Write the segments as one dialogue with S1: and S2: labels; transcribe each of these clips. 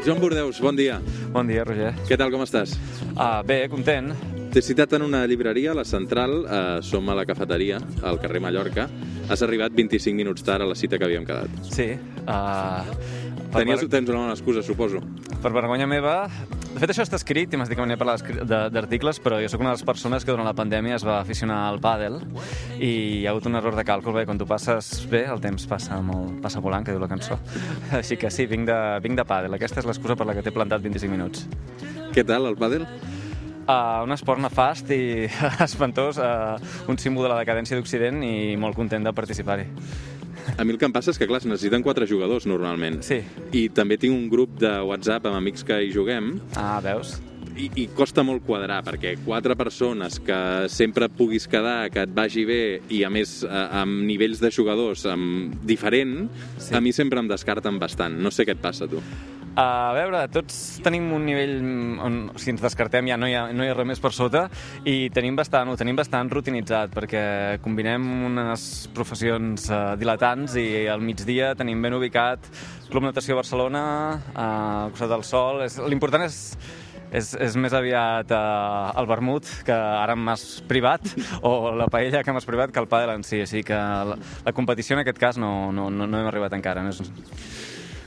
S1: Joan Bordeus, bon dia.
S2: Bon dia, Roger.
S1: Què tal, com estàs?
S2: Bé, content.
S1: T'he citat en una llibreria, a la Central, som a la cafeteria, al carrer Mallorca. Has arribat 25 minuts tard a la cita que havíem quedat.
S2: Sí.
S1: Tens una bona excusa, suposo.
S2: Per vergonya meva... De fet, això està escrit, i m'has dit que venia a parlar d'articles, però jo sóc una de les persones que durant la pandèmia es va aficionar al pàdel i hi ha hagut un error de càlcul. Bé, quan tu passes bé, el temps passa volant, que diu la cançó. Així que sí, vinc de pàdel. Aquesta és l'excusa per la que t'he plantat 25 minuts.
S1: Què tal, el pàdel?
S2: Un esport nefast i espantós, un símbol de la decadència d'Occident i molt content de participar-hi.
S1: A mi el que em passa és que, clar, es necessiten 4 jugadors, normalment.
S2: Sí.
S1: I també tinc un grup de WhatsApp amb amics que hi juguem.
S2: Veus?
S1: I costa molt quadrar, perquè 4 persones que sempre puguis quedar, que et vagi bé, i a més amb nivells de jugadors diferent, sí. A mi sempre em descarten bastant. No sé què et passa, tu.
S2: A veure, tots tenim un nivell on, si ens descartem, ja no hi ha res més per sota i ho tenim bastant rutinitzat perquè combinem unes professions dilatants i al migdia tenim ben ubicat Club Natació Barcelona, al costat del Sol. L'important és més aviat el vermut, que ara m'has privat, o la paella que m'has privat, que el pàdel en si. Així que la competició en aquest cas no hem arribat encara.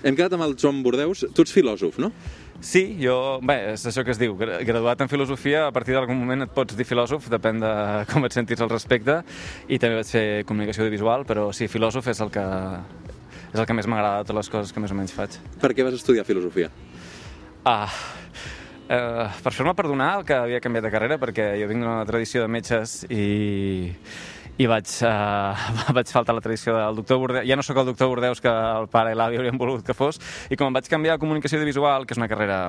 S1: Hem quedat amb el Joan Bordeus. Tu ets filòsof, no?
S2: Sí, és això que es diu. Graduat en filosofia, a partir d'algun moment et pots dir filòsof, depèn de com et sentis al respecte, i també vaig fer comunicació audiovisual, però sí, filòsof és el que més m'agrada de totes les coses que més o menys faig. Per
S1: què vas estudiar filosofia?
S2: Per fer-me perdonar el que havia canviat de carrera, perquè jo vinc d'una tradició de metges i vaig faltar la tradició del doctor Bordeus. Ja no sóc el doctor Bordeus que el pare i l'avi haurien volgut que fos, i com em vaig canviar a comunicació audiovisual, que és una carrera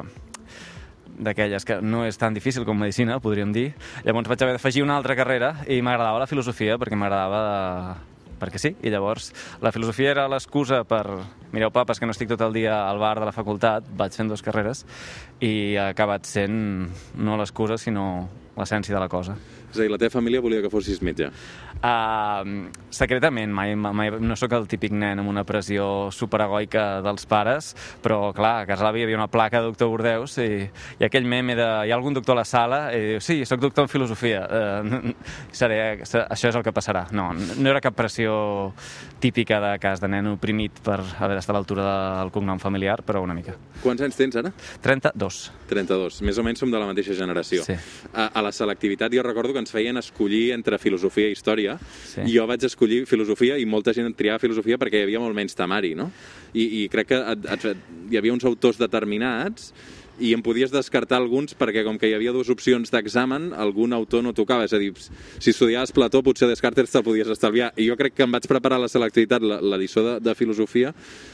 S2: d'aquelles que no és tan difícil com medicina, podríem dir, llavors vaig haver d'afegir una altra carrera i m'agradava la filosofia perquè sí, i llavors la filosofia era l'excusa per... Mireu, papes, que no estic tot el dia al bar de la facultat, vaig fent 2 carreres i ha acabat sent no l'excusa, sinó l'essència de la cosa.
S1: És a dir, la teva família volia que fossis metge?
S2: Secretament, mai no sóc el típic nen amb una pressió superegoica dels pares, però clar, a casa l'àvia hi havia una placa de doctor Bordeus i aquell meme de hi ha algun doctor a la sala i diu, sí, sóc doctor en filosofia, això és el que passarà. No era cap pressió típica de cas de nen oprimit per haver d'estar a l'altura del cognom familiar, però una mica.
S1: Quants anys tens ara?
S2: 32.
S1: 32. Més o menys som de la mateixa generació.
S2: Sí.
S1: A la selectivitat jo recordo que ens feien escollir entre filosofia i història,
S2: sí.
S1: I jo vaig escollir filosofia i molta gent triava filosofia perquè hi havia molt menys temari, no? I crec que hi havia uns autors determinats i em podies descartar alguns perquè com que hi havia 2 opcions d'examen, algun autor no tocava. És a dir, si estudiaves Plató, potser Descartes te'l podies estalviar. I jo crec que em vaig preparar la selectivitat, l'edició de filosofia,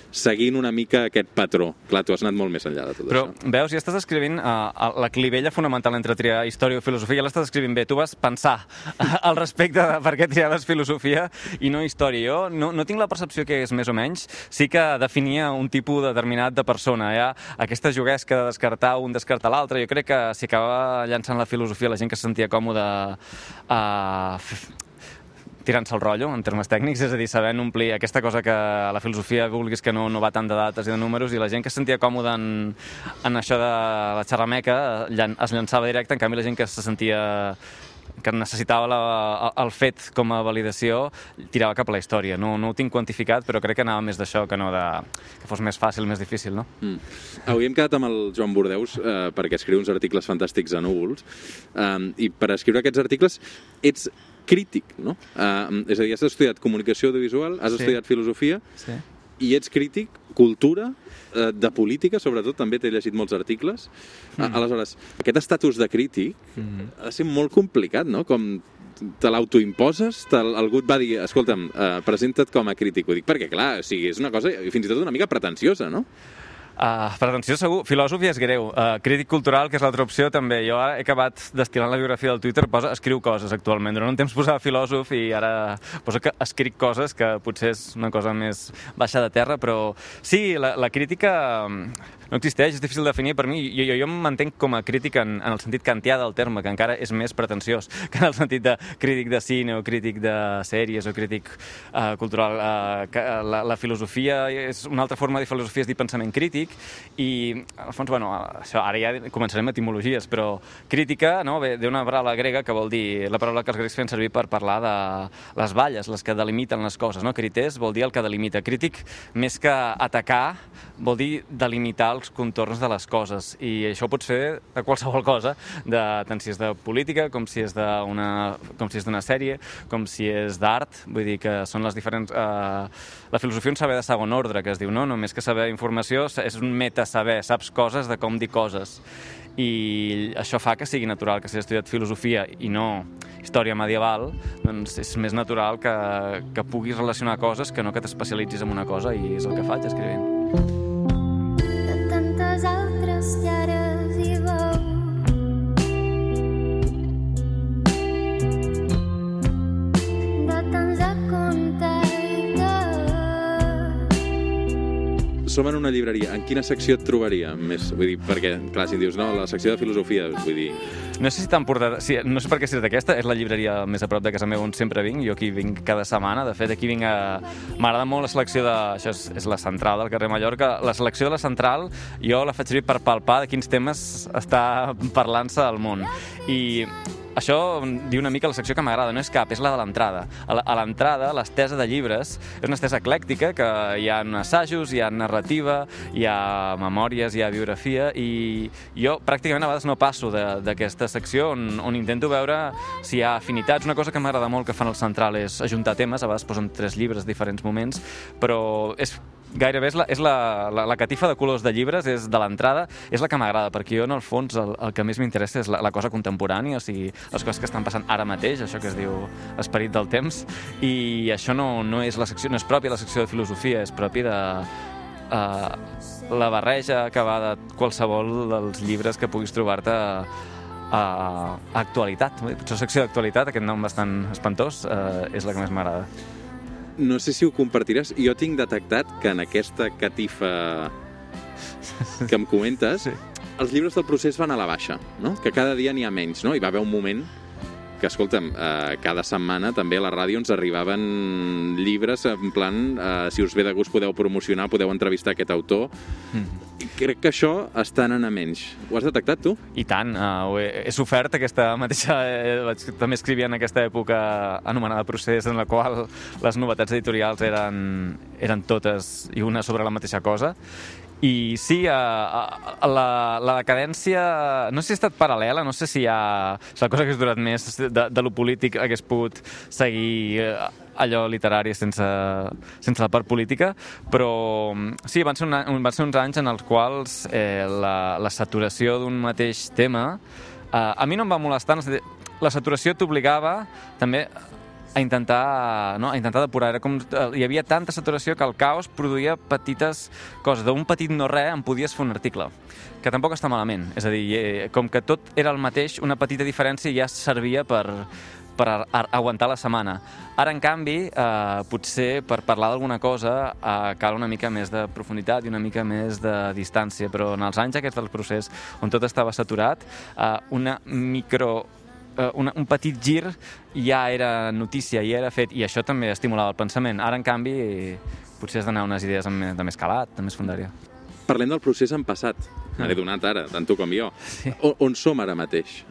S1: seguint una mica aquest patró. Clar, tu has anat molt més enllà de tot
S2: això.
S1: Però,
S2: veus, ja estàs escrivint la clivella fonamental entre triar història o filosofia, ja l'estàs escrivint bé. Tu vas pensar al respecte de per què triaves filosofia i no història. Jo no tinc la percepció que és més o menys. Sí que definia un tipus determinat de persona. Hi ha aquesta juguesca de descartar un, descartar l'altre. Jo crec que s'hi acaba llançant la filosofia la gent que se sentia còmoda tirant-se el rotllo, en termes tècnics, és a dir, sabent omplir aquesta cosa que a la filosofia vulguis que no va tant de dates i de números, i la gent que es sentia còmoda en això de la xerrameca es llançava directe, en canvi la gent que se sentia que necessitava el fet com a validació tirava cap a la història. No ho tinc quantificat, però crec que anava més d'això que no que fos més fàcil, més difícil, no?
S1: Avui hem quedat amb el Joan Bordeus perquè escriu uns articles fantàstics a Núvols, i per escriure aquests articles ets crític, no? És a dir, has estudiat comunicació audiovisual, has estudiat filosofia, i ets crític, cultura, de política, sobretot, també t'he llegit molts articles. Aleshores, aquest estatus de crític ha de ser molt complicat, no? Com te l'autoimposes, algú et va dir, escolta'm, presenta't com a crític. Ho dic perquè, clar, és una cosa fins i tot una mica pretensiosa, no?
S2: Pretensió segur, filòsof ja és greu. Crític cultural, que és l'altra opció, també. Jo ara he acabat destil·lant la biografia del Twitter, escriu coses actualment. Durant un temps posava filòsof i ara poso que escric coses, que potser és una cosa més baixa de terra, però sí, la crítica no existeix, és difícil de definir per mi. Jo em mantenc com a crític en el sentit kantià del terme, que encara és més pretensiós que en el sentit de crític de cine o crític de sèries o crític cultural. La filosofia és una altra forma de filosofia, és dir pensament crític, crític, i al fons, això, ara ja començarem etimologies, però crítica, no? Ve d'una paraula grega que vol dir, la paraula que els grecs feien servir per parlar de les valles, les que delimiten les coses, no? Crités vol dir el que delimita. Crític, més que atacar, vol dir delimitar els contorns de les coses, i això pot ser de qualsevol cosa, tant si és de política, com si és d'una sèrie, com si és d'art, vull dir que són les diferents... La filosofia és un saber de segon ordre, que es diu, no? Només que saber informació és un metasaber, saps coses de com dir coses. I això fa que sigui natural que si has estudiat filosofia i no història medieval, doncs és més natural que puguis relacionar coses que no que t'especialitzis en una cosa, i és el que faig escrivint.
S3: De tantes altres llares i veu, de tants a contacte.
S1: Som en una llibreria. En quina secció et trobaria més? Vull dir, perquè, clar, si em dius, no, la secció de filosofia, vull dir...
S2: No sé si t'han portat... Sí, no sé per què si és d'aquesta, és la llibreria més a prop de casa meva on sempre vinc, jo aquí vinc cada setmana, de fet aquí vinc a... M'agrada molt la selecció de... Això és la central del carrer Mallorca, la selecció de la central jo la faig servir per palpar de quins temes està parlant-se al món, i això diu una mica la secció que m'agrada, no és cap, és la de l'entrada. A l'entrada, l'estesa de llibres és una estesa eclèctica, que hi ha assajos, hi ha narrativa, hi ha memòries, hi ha biografia, i jo pràcticament a vegades no passo d'aquesta secció on intento veure si hi ha afinitats. Una cosa que m'agrada molt que fan al Central és ajuntar temes, a vegades posen 3 llibres a diferents moments, però gairebé és la catifa de colors de llibres, és de l'entrada, és la que m'agrada, perquè jo, en el fons, el que més m'interessa és la cosa contemporània, o sigui, les coses que estan passant ara mateix, això que es diu esperit del temps, i això no és la secció, no és pròpia de la secció de filosofia, és propi de la barreja que va de qualsevol dels llibres que puguis trobar-te a actualitat. Potser la secció d'actualitat, aquest nom bastant espantós, és la que més m'agrada.
S1: No sé si ho compartiràs. Jo tinc detectat que en aquesta catifa que em comentes, sí, els llibres del procés van a la baixa, no? Que cada dia n'hi ha menys, no? Hi va haver un moment que, escolta'm, cada setmana també a la ràdio ens arribaven llibres en plan, si us ve de gust podeu promocionar, podeu entrevistar aquest autor. Crec que això està anant a menys. Ho has detectat, tu?
S2: I tant, he sofert aquesta mateixa... També escrivia en aquesta època anomenada Procés, en la qual les novetats editorials eren totes i una sobre la mateixa cosa. I sí, la decadència no sé si ha estat paral·lela, no sé si hi ha... És la cosa que has durat més de lo polític, hagués pogut seguir allò literari sense la part política, però sí, van ser uns anys en els quals la saturació d'un mateix tema a mi no em va molestar. La saturació t'obligava també a intentar depurar. Hi havia tanta saturació que el caos produïa petites coses. D'un petit no res en podies fer un article, que tampoc està malament. És a dir, com que tot era el mateix, una petita diferència ja servia per aguantar la setmana. Ara, en canvi, potser per parlar d'alguna cosa cal una mica més de profunditat i una mica més de distància, però en els anys aquests del procés, on tot estava saturat, un petit gir ja era notícia, ja era fet, i això també estimulava el pensament. Ara, en canvi, potser has d'anar a unes idees de més calat, de més fondària.
S1: Parlem del procés en passat. Me l'he donat ara, tant tu com jo. Sí. On som ara mateix?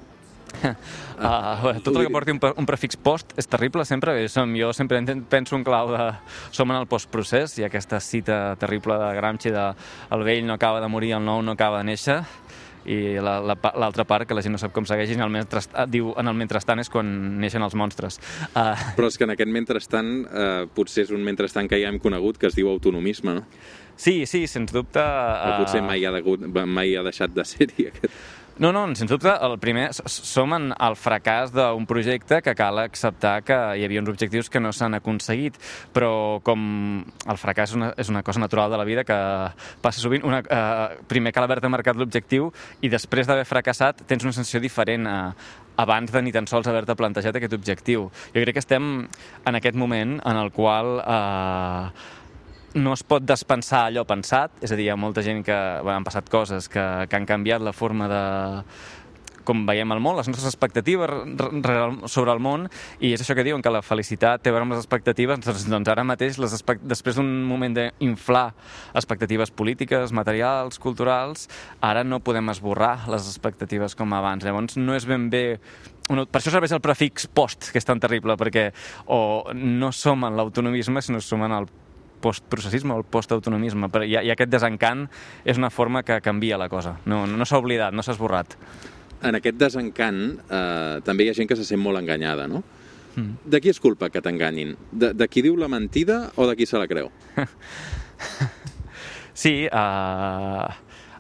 S2: Tot el que porti un prefix post és terrible sempre. Jo sempre penso en clau de som en el postprocés, i aquesta cita terrible de Gramsci de el vell no acaba de morir, el nou no acaba de néixer, i l'altra part, que la gent no sap com segueix, diu en el mentrestant és quan neixen els monstres.
S1: Però és que en aquest mentrestant potser és un mentrestant que ja hem conegut, que es diu autonomisme, no?
S2: Sí, sens dubte.
S1: O potser mai ha deixat de ser-hi aquest...
S2: No, sens dubte, el primer, som en el fracàs d'un projecte que cal acceptar que hi havia uns objectius que no s'han aconseguit, però com el fracàs és una cosa natural de la vida que passa sovint, primer cal haver-te marcat l'objectiu i després d'haver fracassat tens una sensació diferent abans de ni tan sols haver-te plantejat aquest objectiu. Jo crec que estem en aquest moment en el qual no es pot despensar allò pensat, és a dir, hi ha molta gent que han passat coses que han canviat la forma de com veiem el món, les nostres expectatives sobre el món, i és això que diuen, que la felicitat té a veure amb les expectatives. Doncs ara mateix, després d'un moment d'inflar expectatives polítiques, materials, culturals, ara no podem esborrar les expectatives com abans. Llavors no és ben bé... Per això serveix el prefix post, que és tan terrible, perquè o no som en l'autonomisme, sinó som en el postprocessisme o el postautonomisme. I aquest desencant és una forma que canvia la cosa. No s'ha oblidat, no s'ha esborrat.
S1: En aquest desencant també hi ha gent que se sent molt enganyada, no? De qui és culpa que t'enganyin? De qui diu la mentida o de qui se la creu?
S2: Sí, a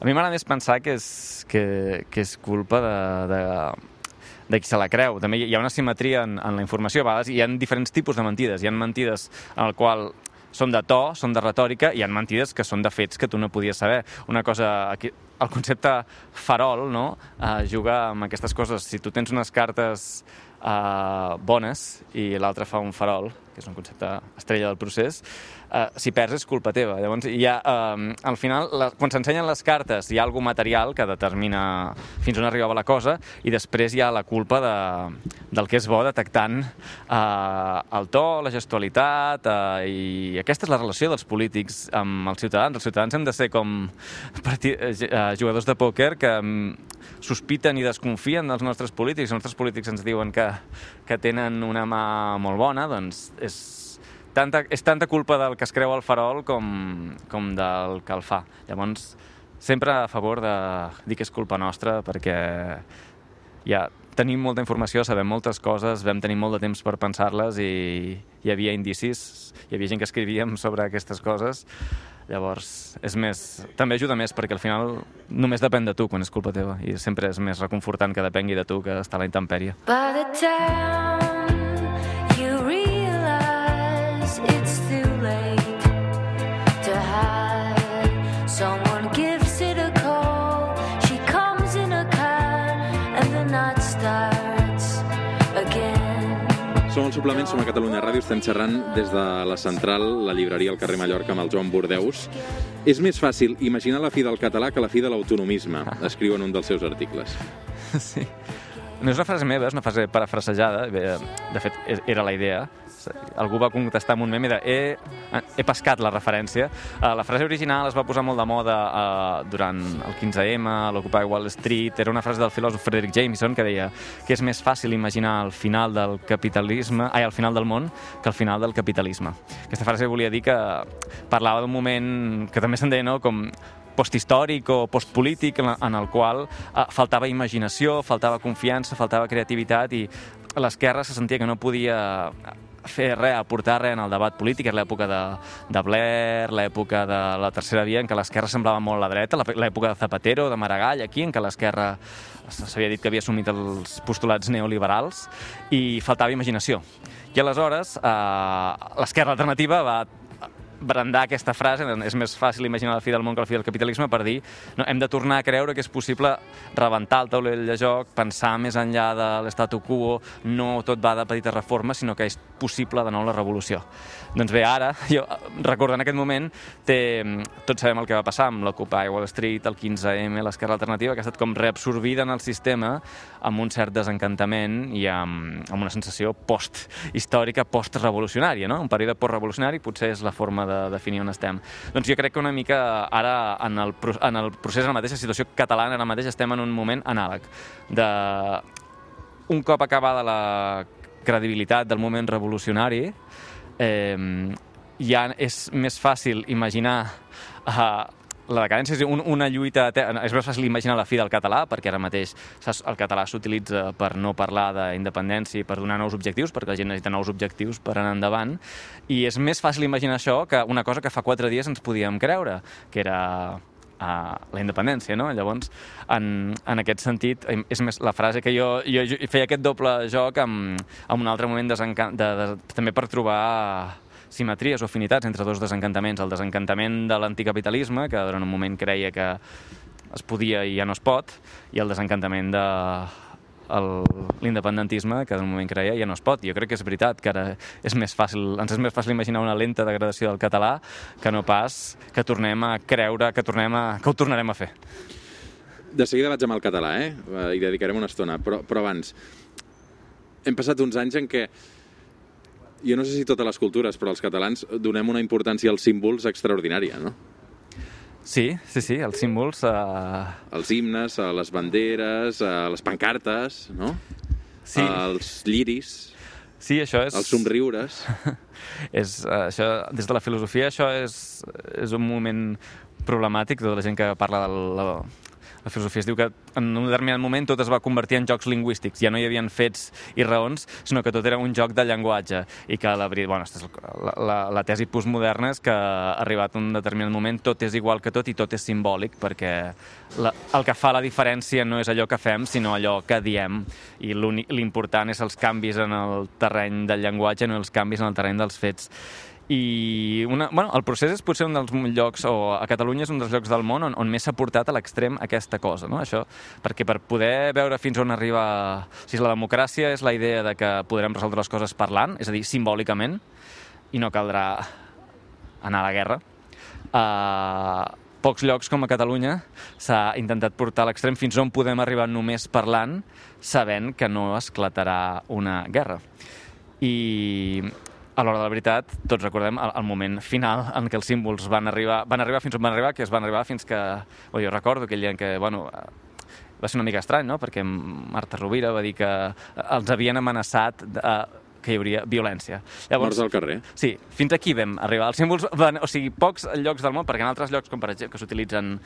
S2: mi m'agrada més pensar que és culpa de qui se la creu. També hi ha una simetria en la informació. A vegades hi ha diferents tipus de mentides. Hi ha mentides en el qual són de to, són de retòrica, i hi ha mentides que són de fets que tu no podies saber. Una cosa... Aquí, el concepte farol, no?, juga amb aquestes coses. Si tu tens unes cartes bones i l'altre fa un farol, que és un concepte estrella del procés, si perds és culpa teva. Llavors, al final, quan s'ensenyen les cartes, hi ha alguna material que determina fins on arribava la cosa, i després hi ha la culpa del que és bo, detectant el to, la gestualitat, i aquesta és la relació dels polítics amb els ciutadans. Els ciutadans hem de ser com jugadors de pòquer que sospiten i desconfien dels nostres polítics. Els nostres polítics ens diuen que tenen una mà molt bona, doncs és tanta culpa del que es creu al farol com del que el fa. Llavors, sempre a favor de dir que és culpa nostra, perquè ja tenim molta informació, sabem moltes coses, vam tenir molt de temps per pensar-les i hi havia indicis, hi havia gent que escrivíem sobre aquestes coses. Llavors, també ajuda més, perquè al final només depèn de tu quan és culpa teva, i sempre és més reconfortant que depengui de tu que estar a la intempèrie.
S3: By the time you realize it's too late to hide, someone gives it a call, she comes in a car and the night starts again.
S1: Som al Suplement, som a Catalunya Ràdio, estem xerrant des de la central, la llibreria al carrer Mallorca, amb el Joan Bordeus. És més fàcil imaginar la fi del català que la fi de l'autonomisme, escriu en un dels seus articles.
S2: Sí. No és una frase meva, és una frase parafrasejada. De fet, era la idea. Algú va contestar amb un meme de he pescat la referència. La frase original es va posar molt de moda durant el 15M, l'Occupy Wall Street. Era una frase del filòsof Frederick Jameson que deia que és més fàcil imaginar el final del capitalisme, el final del món, que el final del capitalisme. Aquesta frase volia dir que parlava d'un moment que també se'n deia, no?, com posthistòric o postpolític, en el qual faltava imaginació, faltava confiança, faltava creativitat, i l'esquerra se sentia que no podia fer res, aportar res en el debat polític. Era l'època de Blair, l'època de la Tercera Via, en què l'esquerra semblava molt la dreta, l'època de Zapatero, de Maragall, aquí, en què l'esquerra s'havia dit que havia assumit els postulats neoliberals, i faltava imaginació. I aleshores l'esquerra alternativa va brandar aquesta frase, és més fàcil imaginar la fi del món que la fi del capitalisme, per dir, no, hem de tornar a creure que és possible rebentar el taulell de joc, pensar més enllà de l'statu quo, no tot va de petites reformes, sinó que és possible de nou la revolució. Doncs bé, ara, jo recordant aquest moment, tots sabem el que va passar amb l'Occupy Wall Street, el 15M, l'esquerra alternativa, que ha estat com reabsorbida en el sistema amb un cert desencantament i amb una sensació post-històrica, post-revolucionària, no? Un període post-revolucionari potser és la forma de definir on estem. Doncs jo crec que una mica ara, en el procés, en la mateixa situació catalana, ara mateix estem en un moment anàleg. Un cop acabada la credibilitat del moment revolucionari, ja és més fàcil imaginar la decadència, és una lluita eterna. És més fàcil imaginar la fi del català, perquè ara mateix el català s'utilitza per no parlar d'independència i per donar nous objectius, perquè la gent necessita nous objectius per anar endavant, i és més fàcil imaginar això que una cosa que fa 4 dies ens podíem creure, que era la independència, no? Llavors, en aquest sentit, és més la frase que jo feia aquest doble joc amb un altre moment també per trobar simetries o afinitats entre dos desencantaments. El desencantament de l'anticapitalisme, que durant un moment creia que es podia i ja no es pot, i el desencantament de l'independentisme, que en un moment creia ja no es pot. Jo crec que és veritat que ara ens és més fàcil imaginar una lenta degradació del català que no pas que tornem a creure que ho tornarem a fer.
S1: De seguida vaig amb el català, hi dedicarem una estona, però abans hem passat uns anys en què jo no sé si totes les cultures, però els catalans donem una importància als símbols extraordinària, no?
S2: Sí, els símbols...
S1: Els himnes, a les banderes, a les pancartes, no?
S2: Sí.
S1: Els lliris,
S2: Sí, això és...
S1: els somriures...
S2: Això, des de la filosofia, això és un moment problemàtic. Tota la gent que parla de la filosofia es diu que en un determinat moment tot es va convertir en jocs lingüístics. Ja no hi havia fets i raons, sinó que tot era un joc de llenguatge. I que la tesi postmoderna és que arribat a un determinat moment tot és igual que tot i tot és simbòlic, perquè el que fa la diferència no és allò que fem, sinó allò que diem. I l'important és els canvis en el terreny del llenguatge, no els canvis en el terreny dels fets. I el procés és potser un dels llocs, o a Catalunya és un dels llocs del món on més s'ha portat a l'extrem aquesta cosa, no? Això, perquè per poder veure fins on arriba... O sigui, la democràcia és la idea de que podrem resoldre les coses parlant, és a dir, simbòlicament, i no caldrà anar a la guerra. Pocs llocs com a Catalunya s'ha intentat portar a l'extrem fins on podem arribar només parlant, sabent que no esclatarà una guerra. I... a l'hora de la veritat, tots recordem el moment final en què els símbols van arribar fins on van arribar, que es van arribar fins que... jo recordo aquell dia en què, va ser una mica estrany, no?, perquè Marta Rovira va dir que els havien amenaçat que hi hauria violència.
S1: Morts al carrer.
S2: Sí, fins aquí vam arribar. Els símbols, pocs llocs del món, perquè en altres llocs, com per exemple, que s'utilitzen,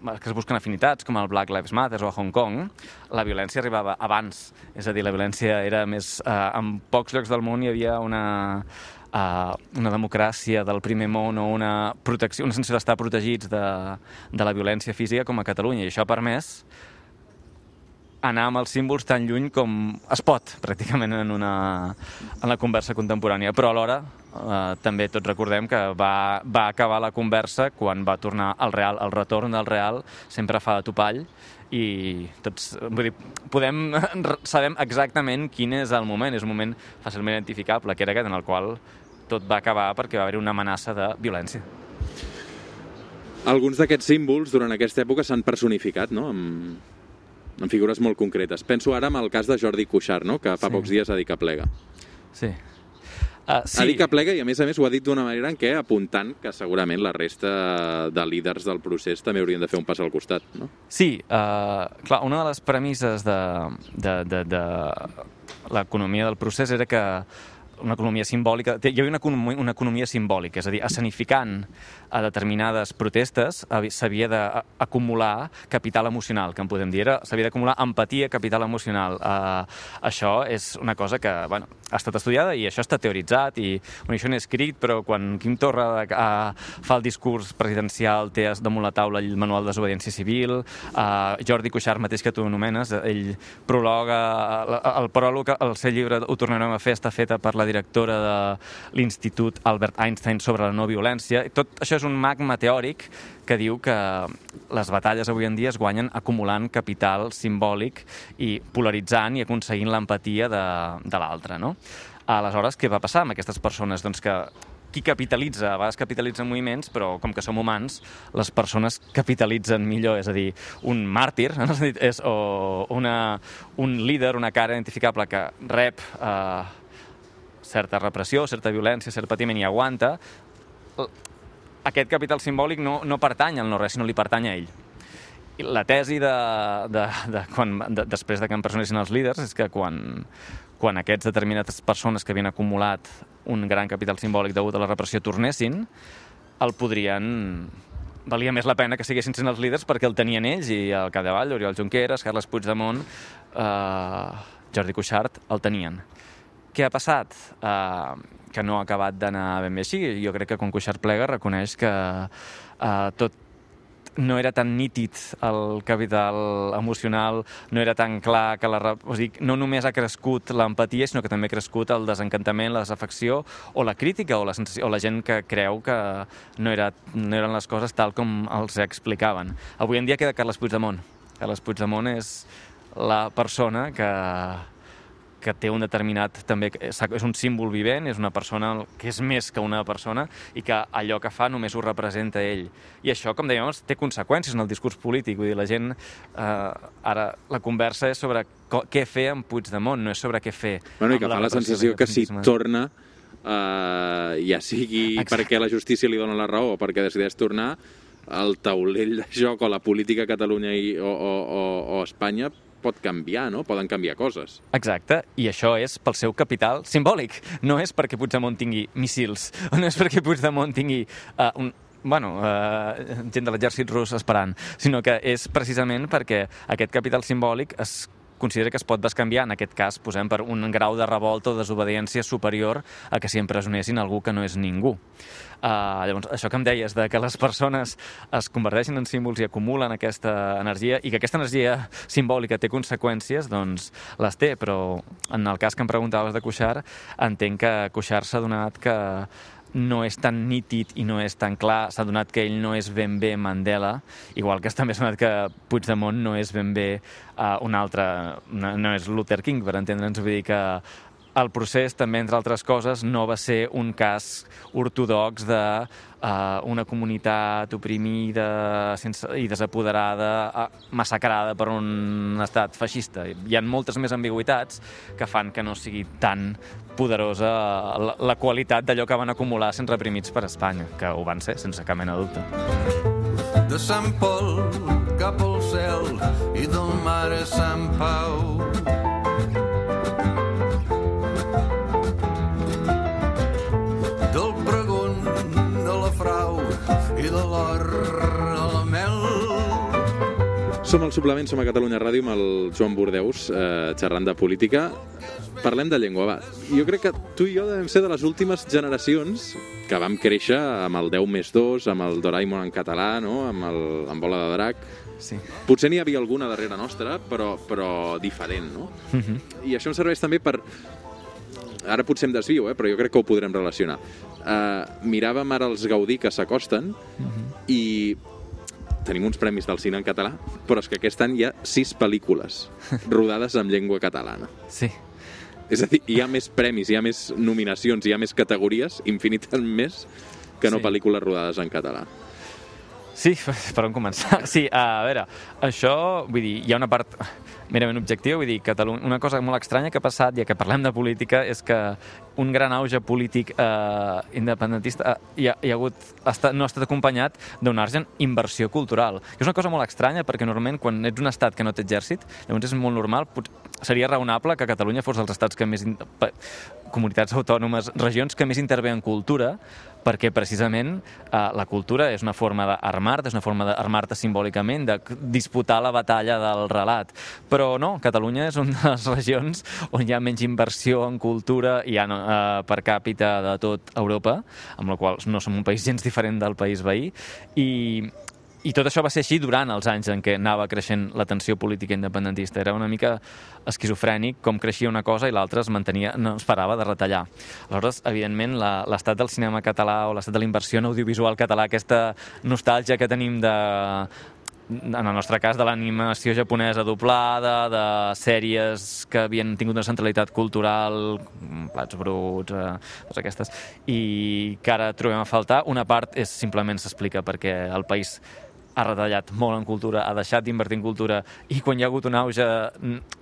S2: que es busquen afinitats, com el Black Lives Matter o a Hong Kong, la violència arribava abans. És a dir, la violència era més... en pocs llocs del món hi havia una democràcia del primer món o una protecció, una sensació d'estar protegits de la violència física com a Catalunya. I això ha permès anar amb els símbols tan lluny com es pot, pràcticament, en la conversa contemporània. Però alhora també tots recordem que va acabar la conversa quan va tornar al real. El retorn del real sempre fa de topall i tots, vull dir, sabem exactament quin és el moment. És un moment fàcilment identificable, que era aquest, en el qual tot va acabar perquè va haver una amenaça de violència.
S1: Alguns d'aquests símbols durant aquesta època s'han personificat, no?, en figures molt concretes. Penso ara en el cas de Jordi Cuixart, no?, que fa pocs dies ha dit que plega.
S2: Sí.
S1: Ha dit que plega i, a més, ho ha dit d'una manera en què apuntant que segurament la resta de líders del procés també haurien de fer un pas al costat, no?
S2: Sí, clar, una de les premisses de l'economia del procés era que una economia simbòlica... Hi havia una economia simbòlica, és a dir, escenificant a determinades protestes s'havia d'acumular capital emocional, que en podem dir. S'havia d'acumular empatia, capital emocional. Això és una cosa que, ha estat estudiada i això està teoritzat i això n'he escrit, però quan Quim Torra fa el discurs presidencial té damunt la taula el manual de desobediència civil, Jordi Cuixart mateix que tu anomenes, ell prologa el pròleg, el seu llibre Ho tornarem a fer, està feta per la directora de l'Institut Albert Einstein sobre la no violència. Tot això és un magma teòric que diu que les batalles avui en dia es guanyen acumulant capital simbòlic i polaritzant i aconseguint l'empatia de l'altre, no? Aleshores, què va passar amb aquestes persones? Doncs que qui capitalitza? A vegades capitalitzen moviments, però com que som humans, les persones capitalitzen millor, és a dir, un màrtir, o un líder, una cara identificable que rep certa repressió, certa violència, cert patiment i aguanta, aquest capital simbòlic no pertany al no-res, sinó li pertany a ell. I la tesi després de que empresonessin els líders és que quan aquests determinades persones que havien acumulat un gran capital simbòlic degut a la repressió tornessin, valia més la pena que siguessin sent els líders perquè el tenien ells i al capdavall, Oriol Junqueras, Carles Puigdemont, Jordi Cuixart, el tenien. Què ha passat? Que no ha acabat d'anar ben bé així. Jo crec que quan Cuixart plega reconeix que tot no era tan nítid el capital emocional, no era tan clar que no només ha crescut l'empatia, sinó que també ha crescut el desencantament, la desafecció o la crítica o la gent que creu que no eren les coses tal com els explicaven. Avui en dia queda Carles Puigdemont. Carles Puigdemont és la persona que que té un determinat... també és un símbol vivent, és una persona que és més que una persona i que allò que fa només ho representa ell. I això, com dèiem, té conseqüències en el discurs polític. Vull dir, la gent... ara la conversa és sobre què fer amb Puigdemont, no és sobre què fer.
S1: Bueno, i que fa la sensació que si torna, ja sigui perquè la justícia li dona la raó o perquè decideix tornar, el taulell de joc o la política a Catalunya o Espanya pot canviar, no? Poden canviar coses.
S2: Exacte, i això és pel seu capital simbòlic. No és perquè Puigdemont tingui míssils, o no és perquè Puigdemont tingui gent de l'exèrcit rus esperant, sinó que és precisament perquè aquest capital simbòlic es considera que es pot bescanviar, en aquest cas posem per un grau de revolta o desobediència superior a que si empresonessin algú que no és ningú. Llavors, això que em deies, de que les persones es converteixen en símbols i acumulen aquesta energia, i que aquesta energia simbòlica té conseqüències, doncs les té, però en el cas que em preguntaves de Cuixart, entenc que Cuixart s'ha donat que no és tan nítid i no és tan clar, s'ha donat que ell no és ben bé Mandela, igual que també s'ha donat que Puigdemont no és ben bé un altre, no és Luther King, per entendre'ns, vull dir que el procés també, entre altres coses, no va ser un cas ortodox d'una comunitat oprimida i desapoderada, massacrada per un estat feixista. Hi ha moltes més ambigüitats que fan que no sigui tan poderosa la qualitat d'allò que van acumular sent reprimits per Espanya, que ho van ser, sense cap mena de dubte.
S4: De Sant Pol cap al cel i del mar a Sant Pau. Del pregon a la frau i de l'or a la mel.
S1: Som al Suplement, som a Catalunya Ràdio amb el Joan Bordeus, xerrant de política. Parlem de llengua, va. Jo crec que tu i jo devem ser de les últimes generacions que vam créixer amb el 10+2, amb el Doraemon en català, no? Amb Bola de Drac.
S2: Sí.
S1: Potser n'hi havia alguna darrere nostra, però diferent, no? I això em serveix també per... Ara potser em desvio, però jo crec que ho podrem relacionar. Miràvem ara els Gaudí que s'acosten i tenim uns premis del cine en català, però és que aquest any hi ha 6 pel·lícules rodades en llengua catalana.
S2: Sí.
S1: És a dir, hi ha més premis, hi ha més nominacions, hi ha més categories, infinites més, que no pel·lícules rodades en català.
S2: Sí, per on començar? Sí, a veure, això, vull dir, hi ha una part merament objectiva, vull dir, una cosa molt estranya que ha passat, ja que parlem de política, és que un gran auge polític independentista no ha estat acompanyat d'una argent inversió cultural. I és una cosa molt estranya, perquè normalment quan ets un estat que no té exèrcit, llavors és molt normal, seria raonable que Catalunya fos dels estats que més... comunitats autònomes, regions que més intervé en cultura, perquè precisament la cultura és una forma d'armar-te, és una forma d'armar-te simbòlicament, de disputar la batalla del relat. Però no, Catalunya és una de les regions on hi ha menys inversió en cultura i per càpita de tot Europa, amb la qual no som un país gens diferent del país veí, i tot això va ser així durant els anys en què anava creixent la tensió política independentista. Era una mica esquizofrènic com creixia una cosa i l'altra es mantenia, no es parava de retallar. Aleshores, evidentment, l'estat del cinema català o l'estat de la inversió en audiovisual català, aquesta nostàlgia que tenim en el nostre cas, de l'animació japonesa doblada, de sèries que havien tingut una centralitat cultural, Plats bruts, totes aquestes, i que ara trobem a faltar. Una part simplement s'explica perquè el país ha retallat molt en cultura, ha deixat d'invertir en cultura, i quan hi ha hagut un auge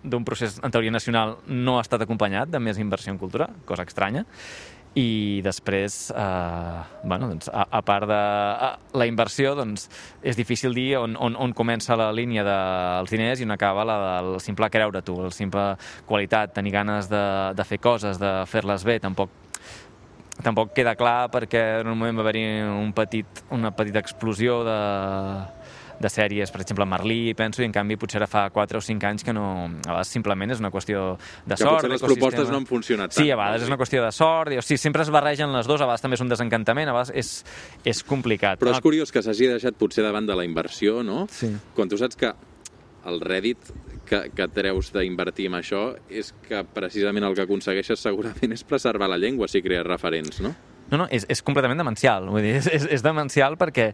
S2: d'un procés, en teoria nacional, no ha estat acompanyat de més inversió en cultura, cosa estranya. I després, a part de la inversió, doncs, és difícil dir on comença la línia dels diners i on acaba la del simple creure-t'ho, la simple qualitat, tenir ganes de fer coses, de fer-les bé. Tampoc queda clar perquè en un moment va haver-hi una petita explosió de sèries, per exemple, Merlí, penso, i en canvi potser ara fa 4 o 5 anys que no... A vegades simplement és una qüestió de sort.
S1: Que potser les propostes no han funcionat tant.
S2: Sí, a vegades és una qüestió de sort, sí, sempre es barregen les dues, a vegades també és un desencantament, a vegades és complicat.
S1: Però és curiós que s'hagi deixat potser davant de la inversió, no?
S2: Sí.
S1: Quan tu saps que el rèdit que treus d'invertir en això és que precisament el que aconsegueixes segurament és preservar la llengua si crees referents, no?
S2: No, és completament demencial. Vull dir, és demencial perquè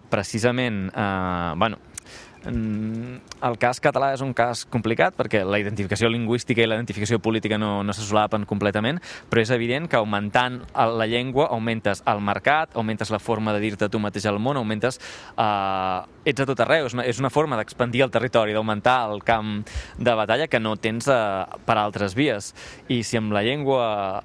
S2: precisament, El cas català és un cas complicat perquè la identificació lingüística i la identificació política no se solapen completament, però és evident que augmentant la llengua augmentes el mercat, augmentes la forma de dir-te tu mateix al món, augmentes... ets a tot arreu, és una forma d'expandir el territori, d'augmentar el camp de batalla que no tens per altres vies. I si amb la llengua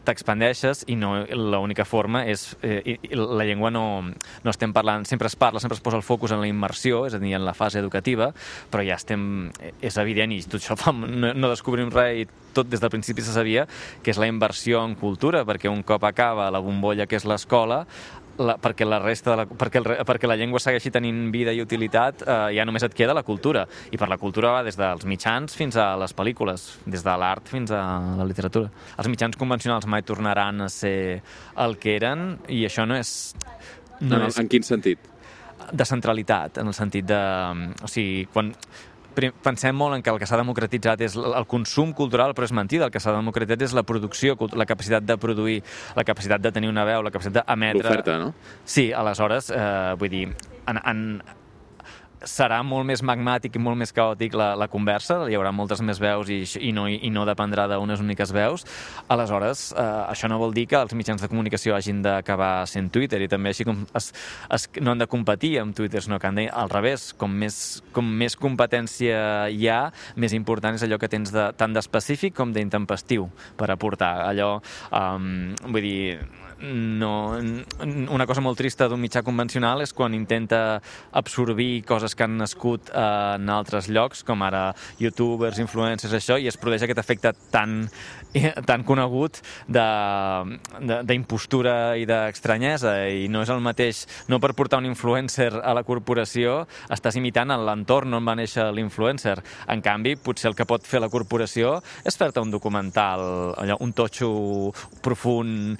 S2: t'expandeixes i no l'única forma és... la llengua no estem parlant... Sempre es parla, sempre es posa el focus en la immersió, és a dir, en la fase educativa, però ja estem... És evident, i tot això no descobrim res i tot des del principi se sabia, que és la inversió en cultura, perquè un cop acaba la bombolla que és l'escola, perquè la llengua segueixi tenint vida i utilitat, ja només et queda la cultura. I per la cultura va des dels mitjans fins a les pel·lícules, des de l'art fins a la literatura. Els mitjans convencionals mai tornaran a ser el que eren, i això no és...
S1: En quin sentit?
S2: De centralitat, en el sentit de... O sigui, quan... Pensem molt en que el que s'ha democratitzat és el consum cultural, però és mentida. El que s'ha democratitzat és la producció, la capacitat de produir, la capacitat de tenir una veu, la capacitat d'emetre...
S1: L'oferta, no?
S2: Sí, aleshores, vull dir, serà molt més magmàtic i molt més caòtic la conversa, hi haurà moltes més veus i no dependrà d'unes úniques veus. Aleshores, això no vol dir que els mitjans de comunicació hagin d'acabar sent Twitter, i també així com no han de competir amb Twitter, sinó que han de, al revés, com més competència hi ha, més important és allò que tens tant d'específic com d'intempestiu per aportar. Allò, vull dir, una cosa molt trista d'un mitjà convencional és quan intenta absorbir coses que han nascut en altres llocs, com ara youtubers, influencers, això, i es produeix aquest efecte tan conegut d'impostura i d'estranyesa, i no és el mateix. No per portar un influencer a la corporació estàs imitant l'entorn on va néixer l'influencer. En canvi, potser el que pot fer la corporació és fer-te un documental, un totxo profund,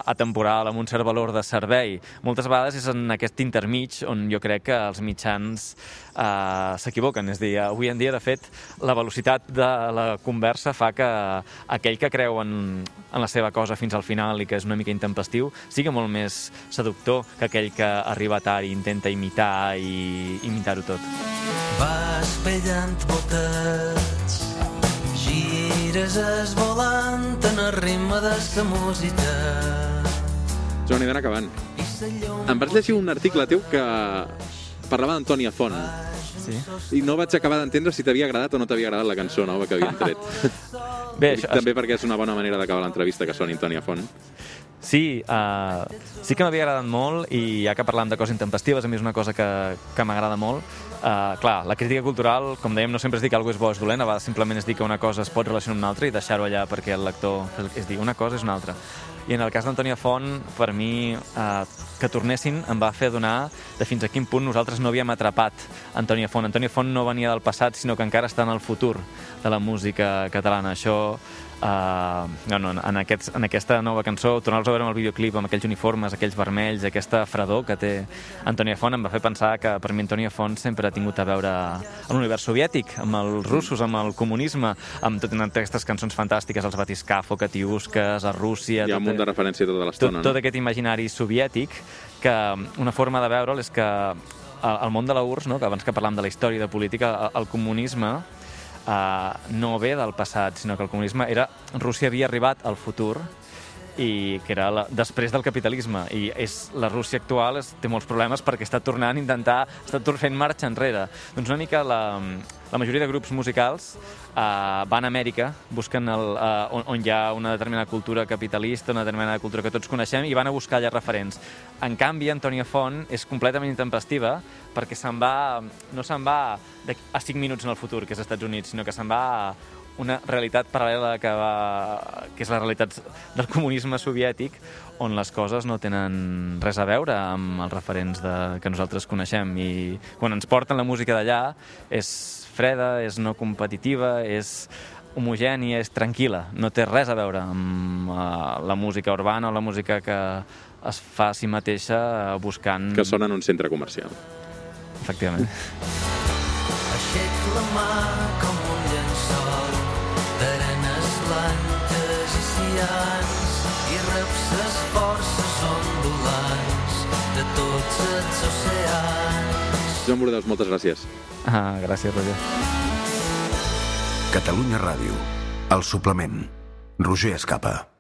S2: atemporal, amb un cert valor de servei. Moltes vegades és en aquest intermig on jo crec que els mitjans s'equivoquen. És a dir, avui en dia, de fet, la velocitat de la conversa fa que aquell que creu en la seva cosa fins al final i que és una mica intempestiu sigui molt més seductor que aquell que arriba tard i intenta imitar i imitar-ho tot.
S4: Vas pellant botets, gires esvolant en el ritme de sa música.
S1: Joan, he d'anar acabant. Em vas llegir un article teu que parlava d'Antònia Font.
S2: Sí.
S1: I no vaig acabar d'entendre si t'havia agradat o no t'havia agradat la cançó nova que havien tret.
S2: Bé,
S1: també perquè és una bona manera d'acabar l'entrevista, que soni Antònia Font.
S2: Sí, sí que m'havia agradat molt, i ja que parlàvem de coses intempestives, a mi és una cosa que m'agrada molt. Clar, la crítica cultural, com dèiem, no sempre es dir que alguna és bo o és dolent, a vegades simplement és dir que una cosa es pot relacionar amb una altra i deixar-ho allà perquè el lector... És dir, una cosa és una altra. I en el cas d'Antònia Font, per mi, que tornessin em va fer adonar de fins a quin punt nosaltres no havíem atrapat Antònia Font. Antònia Font no venia del passat, sinó que encara està en el futur de la música catalana. Això, en aquesta nova cançó, tornar-los a veure amb el videoclip, amb aquells uniformes, aquells vermells, aquesta fredor que té Antònia Font, em va fer pensar que per mi Antònia Font sempre ha tingut a veure amb l'univers soviètic, amb els russos, amb el comunisme, amb totes aquestes cançons fantàstiques, els Batiscafo, Katiuskas, a Rússia...
S1: Hi ha un munt de referència tota l'estona, no?
S2: Tot aquest imaginari soviètic, que una forma de veure'l és que el món de la URSS, no? Que abans que parlàvem de la història i de política, el comunisme no ve del passat, sinó que el comunisme era... Rússia havia arribat al futur, i que era després del capitalisme, i la Rússia actual té molts problemes perquè està tornant a intentar, està fent marxa enrere. Doncs una mica la majoria de grups musicals van a Amèrica, busquen on hi ha una determinada cultura capitalista, una determinada cultura que tots coneixem, i van a buscar allà referents. En canvi, Antònia Font és completament intempestiva perquè no se'n va a 5 minuts en el futur, que és als Estats Units, sinó que se'n va a una realitat paral·lela que és la realitat del comunisme soviètic, on les coses no tenen res a veure amb els referents que nosaltres coneixem. I quan ens porten la música d'allà és freda, és no competitiva, és homogènia, és tranquil·la. No té res a veure amb la música urbana o la música que es fa a si mateixa buscant...
S1: Que sona en un centre comercial.
S2: Efectivament.
S4: Aixec la mà com un llençol d'arenes blanques i cians i reps les forces ondulants de tots els oceans.
S1: Joan Bordeus, moltes gràcies.
S2: Gràcies, Roger.
S4: Catalunya Ràdio, el suplement. Roger Escapa.